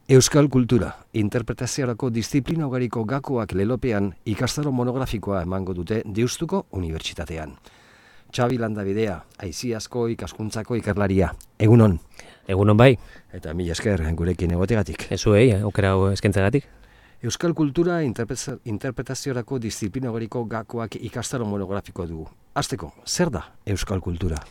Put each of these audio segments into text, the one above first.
Euskal kultura, interpretaziorako disiplina ugariko gakoak lelopean ikastaro monografikoa emango dute Deustuko Unibertsitatean. Xabi Landabidea, Aiziazko ikaskuntzako ikerlaria. Egunon. Egunon bai. Eta mila esker gurekin egotegatik. Ezuei, aukera eskentzegatik. Euskal kultura interpretaziorako disiplina ugariko gakoak ikastaro monografikoa dugu. Hasteko, zer da Euskal kultura?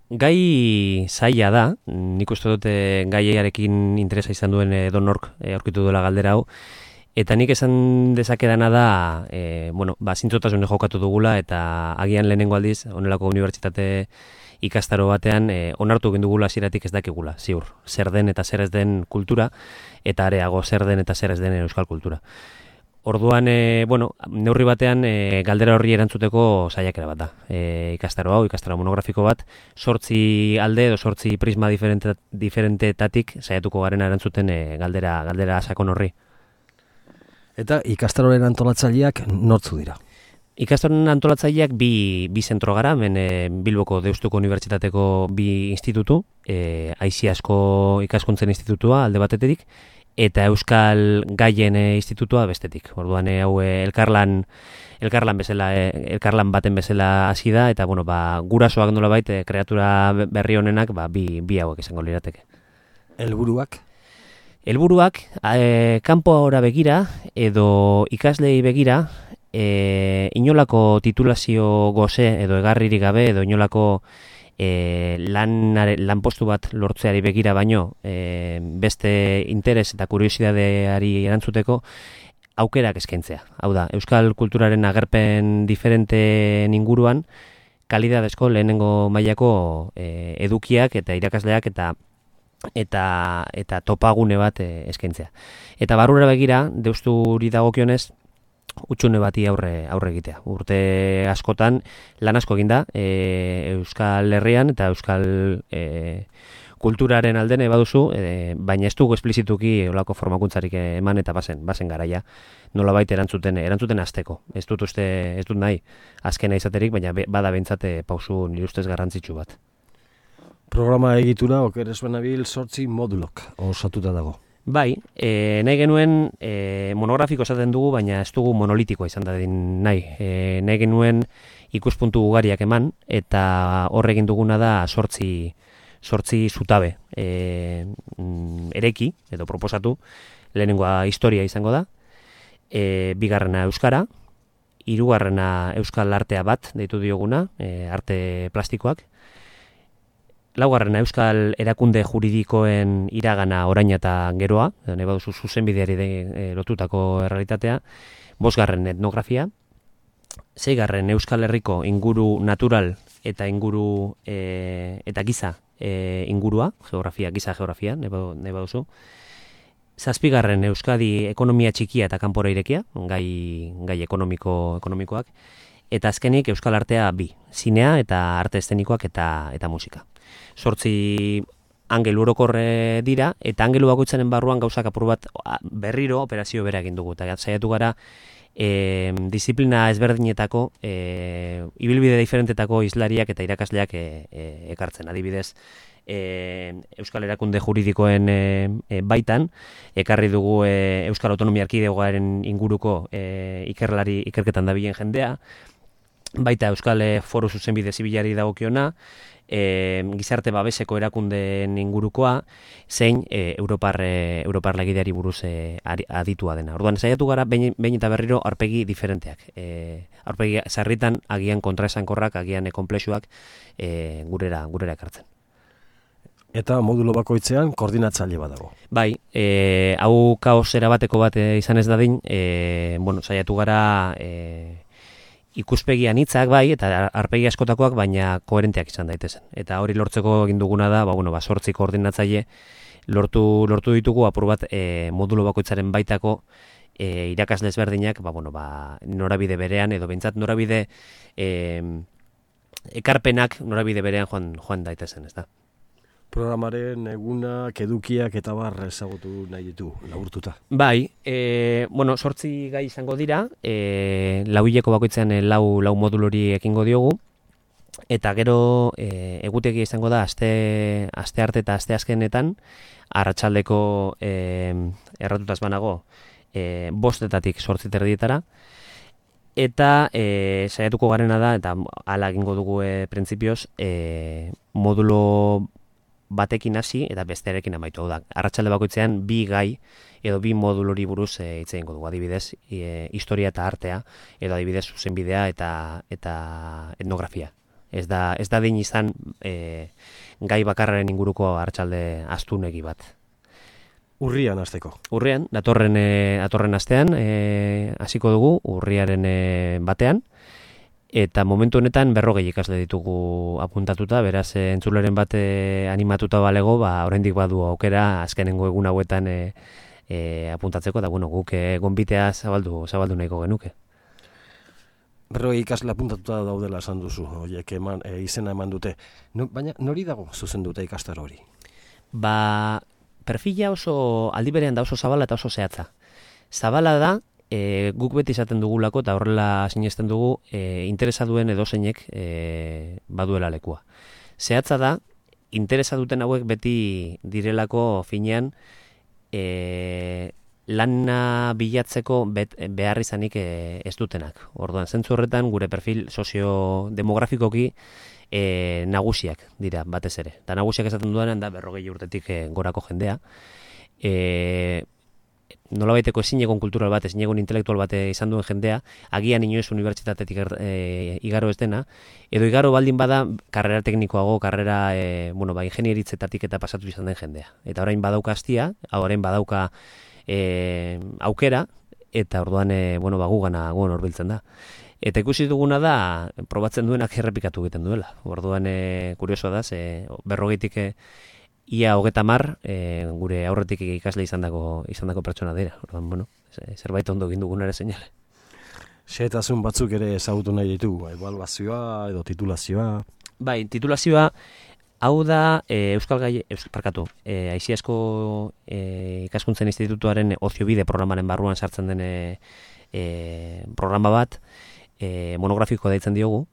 Gai zaila da, nik uste dute gaiarekin interesa izan duen edonork aurkitu duela galdera hau, eta nik esan dezakedana da, zintzotasune jokatu dugula, eta agian lehenengo aldiz, honelako unibertsitate ikastaro batean, onartu egin dugula hasieratik ez dakigula, ziur, zer den eta zer ez den kultura, eta areago zer den eta zer ez den euskal kultura. Orduan, neurri batean galdera horri erantzuteko saiakera bat da. Ikastaro monografiko bat, 8 alde edo 8 prisma diferentetatik saiatuko garena erantzuten galdera sakon horri. Eta ikastaroren antolatzaileak nortzu dira? Ikastaroren antolatzaileak bi zentro gara, hemen Bilboko Deustuko Unibertsitateko 2 institutu, Aiziazko ikaskuntzen institutua alde batetik, eta Euskal Gaien institutua bestetik. Orduan hau elkarlan baten bezala hasi da, eta gurasoak nolabait kreatura berri honenak bi hauek izango lirateke. Helburuak? Helburuak kanpora begira edo ikaslei begira inolako titulazio goze edo egarririk gabe edo inolako lanpostu bat lortzeari begira baino beste interes eta kuriosidadeari erantzuteko aukerak eskaintzea. Hau da, euskal kulturaren agerpen diferenteen inguruan kalidadezko lehenengo mailako edukiak eta irakasleak eta topagune bat eskaintzea. Eta barrura begira, Deusturi dagokionez, utxune bati aurre egitea. Urte askotan lan asko egin da Euskal Herrian eta Euskal kulturaren alde nahi baduzu, baina ez dugu esplizituki olako formakuntzarik eman eta bazen garaia. Nolabait erantzuten hasteko. Ez dut nahi azkena izaterik, baina bada behintzat pausu nire ustez garrantzitsu bat. Programa egitura okeres benabil 8 modulok osatuta dago. Bai, nahi genuen monografiko esaten dugu, baina ez dugu monolitikoa izan dadin nahi. Nahi genuen ikuspuntu ugariak eman, eta hor egin duguna da 8 zutabe ereki, edo proposatu. Lehenengoa historia izango da, bigarrena euskara, hirugarrena euskal artea bat, deitu dioguna, arte plastikoak, laugarrena euskal erakunde juridikoen iragana oraina eta geroa, nahi baduzu zuzenbideari lotutako errealitatea, 5. etnografia, 6. euskal herriko inguru natural eta inguru eta giza ingurua, giza geografia, nahi baduzu, 7. Euskadi ekonomia txikia eta kanpora irekia, gai ekonomikoak, eta azkenik euskal artea 2, zinea eta arte eszenikoak eta musika. 8 angelu orokorre dira, eta angelu bakoitzaren barruan gauzak apur bat berriro operazio bera egin dugu. Eta saiatu gara disiplina ezberdinetako, ibilbide diferentetako hizlariak eta irakasleak ekartzen. Adibidez, Euskal Erakunde Juridikoen baitan, ekarri dugu Euskal Autonomia Erkidegoaren inguruko ikerketan dabilen jendea, baita Euskal Foru Zuzenbide Zibilari dagokiona, gizarte babeseko erakundeen ingurukoa, zein Europar legideari buruz aditua dena. Orduan, saiatu gara behin eta berriro aurpegi diferenteak. Aurpegi sarritan agian kontraesankorrak, agian konplexuak gurera ekartzen. Eta modulo bakoitzean koordinatzaile bat dago. Bai, hau kaos erabateko bat izan ez dadin, saiatu gara ikuspegi anitzak bai, eta aurpegi askotakoak, baina koherenteak izan daitezen. Eta hori lortzeko egin duguna da, 8 koordinatzaile lortu ditugu apur bat modulo bakoitzaren baitako irakasle ezberdinak, norabide berean, edo behintzat norabide ekarpenak norabide berean joan daitezen, ez da? Programaren egunak, edukiak eta bar ezagutu nahi ditu, laburtuta. Bai, 8 gai izango dira, 4 hileko bakoitzean lau modulori ekingo diogu, Eta gero egutegi izango da aste arte eta aste azkenetan arratsaldeko erratutaz banago 5:00 8:30 eta saiatuko garena da, eta hala egingo dugu printzipioz, modulo batekin hasi eta bestearekin amaitu. Hau da, arratsalde bakoitzean 2 gai edo 2 modulori buruz hitz egingo dugu. Adibidez, historia eta artea, edo adibidez zuzenbidea eta etnografia. Ez da din izan gai bakarraren inguruko arratsalde astunegi bat. Urrian hasteko. Urrian, datorren astean hasiko dugu, urriaren batean, eta momentu honetan 40 ikasle ditugu apuntatuta, beraz entzuleren bat animatuta balego, oraindik badu aukera azkenengo egun hauetan apuntatzeko, eta guk gonbitea zabaldu nahiko genuke. 40 ikasle apuntatuta daudela esan duzu, horiek izena eman dute. Baina nori dago zuzenduta ikastaro hori? Perfila oso aldi berean da oso zabala eta oso zehatza. Zabala da, guk beti izaten dugulako, eta horrela sinesten dugu, interesa duen edozeinek baduela lekua. Zehatza da, interesa duten hauek beti direlako finean, lana bilatzeko behar izanik ez dutenak. Orduan, zentzu horretan, gure perfil soziodemografikoki nagusiak dira batez ere. Eta nagusiak esaten dudanean da 40 urtetik gorako jendea. Nolabaiteko ezinegon kultural bat, ezinegon intelektual bat izan duen jendea, agian inoiz unibertsitatetik igaro ez dena, edo igaro baldin bada karrera teknikoago, karrera ingenieritzetatik eta pasatu izan den jendea. Eta orain badauka astia, orain badauka aukera, eta orduan gugana horbiltzen da. Eta ikusi duguna da, probatzen duenak errepikatu egiten duela. Orduan kuriosoa da, 40tik ia 30 gure aurretik ikasle izandako pertsona dira. Orduan, zerbait ondo egin dugun ere seinale. Xehetasun batzuk ere ezagutu nahi ditugu, ebaluazioa edo titulazioa. Bai, titulazioa hau da Aiziasko ikaskuntzen institutuaren oziobide programaren barruan sartzen den programa bat, monografiko deitzen diogu,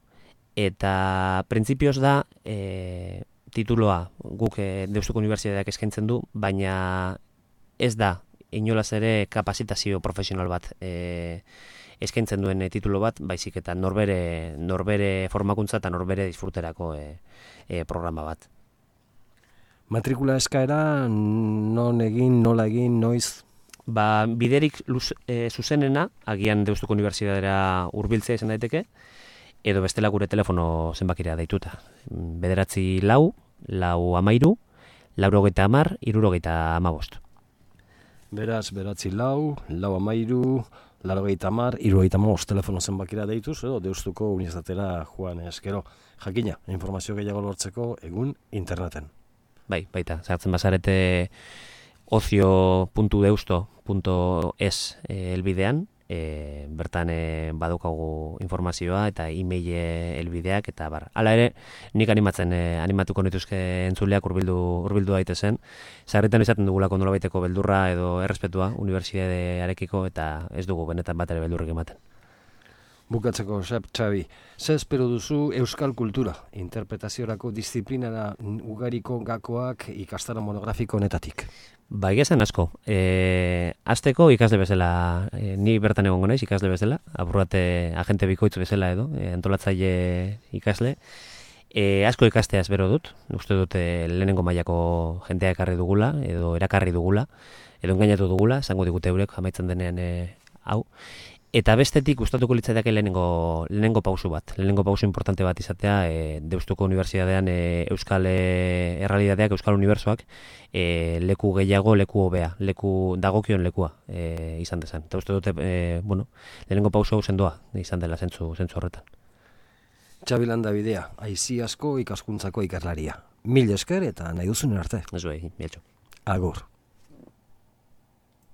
eta printzipioz da tituloa guk Deustuko Unibertsitateak eskaintzen du, baina ez da inolaz ere kapazitazio profesional bat eskaintzen duen titulo bat, baizik eta norbere formakuntza eta norbere disfruterako programa bat. Matrikula eskaera non egin, nola egin, noiz? Biderik zuzenena, agian Deustuko Unibertsitatera hurbiltzea izan daiteke, edo bestela gure telefono zenbakira deituta. 9 4 13 90 70 Beraz, 9 4 13 90 70 telefono zenbakira deituz, edo Deustuko Unibertsitatera joan eskero. Jakina, informazio gehiago lortzeko egun interneten. Bai, baita, sartzen bazarete ocio.deusto.es helbidean, bertan badaukagu informazioa eta e-mail helbideak eta bar. Hala ere, nik animatuko nituzke entzuleak hurbildu daitezen. Sarritan izaten dugulako nolabaiteko beldurra edo errespetua unibertsitatearekiko eta ez dugu benetan bat ere beldurrik ematen. Bukatzeko, Xabi, ze espero duzu euskal kultura, interpretaziorako disiplinara ugariko gakoak ikastaro monografiko honetatik? Egia asko. Hasteko ikasle bezala, ni bertan egongo naiz ikasle bezala, apurrate agente bikoitz bezala edo, antolatzaile ikasle. Asko ikastea espero dut, uste dut lehenengo mailako jentea ekarri dugula, edo erakarri dugula, edo engainatu dugula, esango digute eurek amaitzen denean hau. Eta bestetik gustatuko litzaidake lehenengo pausu bat. Lehenengo pausu importante bat izatea Deustuko Unibertsitatean euskal errealitateak, euskal unibertsoak leku gehiago, leku hobea, dagokion lekua izan dezan. Eta uste dute, lehenengo pausu hau sendoa izan dela zentzu horretan. Xabi Landabidea, Aiziasko ikaskuntzako ikerlaria. Mil esker eta nahi duzun arte. Ez bai, bieltxo. Agur.